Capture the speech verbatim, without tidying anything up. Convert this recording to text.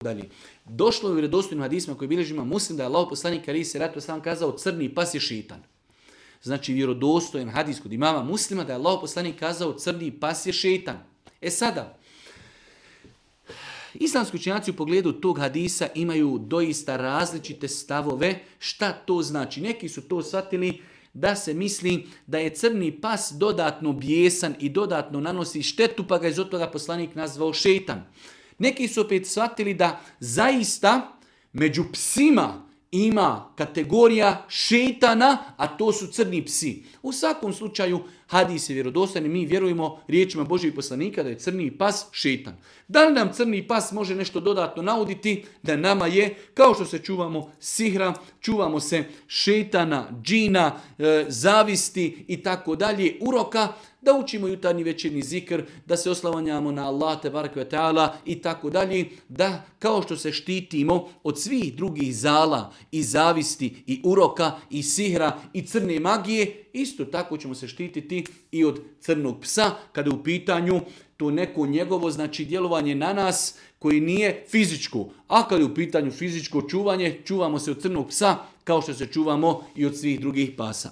dalje. Došlo je u vjerodostojnim hadisima koji bilježi Imam Muslim da je Allahov poslanik alejhi selatu vesselam kazao crni pas je šejtan. Znači vjerodostojan hadis kod imama Muslima da je Allahov poslanik kazao crni pas je šejtan. E sada, islamski učenjaci u pogledu tog hadisa imaju doista različite stavove. Šta to znači? Neki su to shvatili da se misli da je crni pas dodatno bijesan i dodatno nanosi štetu, pa ga je zbog toga poslanik nazvao šejtan. Neki su opet shvatili da zaista među psima ima kategorija šejtana, a to su crni psi. U svakom slučaju hadis je vjerodostojan i mi vjerujemo riječima Božjih poslanika da je crni pas šejtan. Da li nam crni pas može nešto dodatno nauditi? Da nama je, kao što se čuvamo sihra, čuvamo se šejtana, džina, e, zavisti i tako dalje, uroka, da učimo jutarnji večernji zikr, da se oslavljamo na Allah tebareke ve taala i tako dalje, da kao što se štitimo od svih drugih zala i zavisti i uroka i sihra i crne magije, isto tako ćemo se štititi i od crnog psa kada je u pitanju to neko njegovo znači djelovanje na nas koji nije fizičko. A kada je u pitanju fizičko čuvanje, čuvamo se od crnog psa kao što se čuvamo i od svih drugih pasa.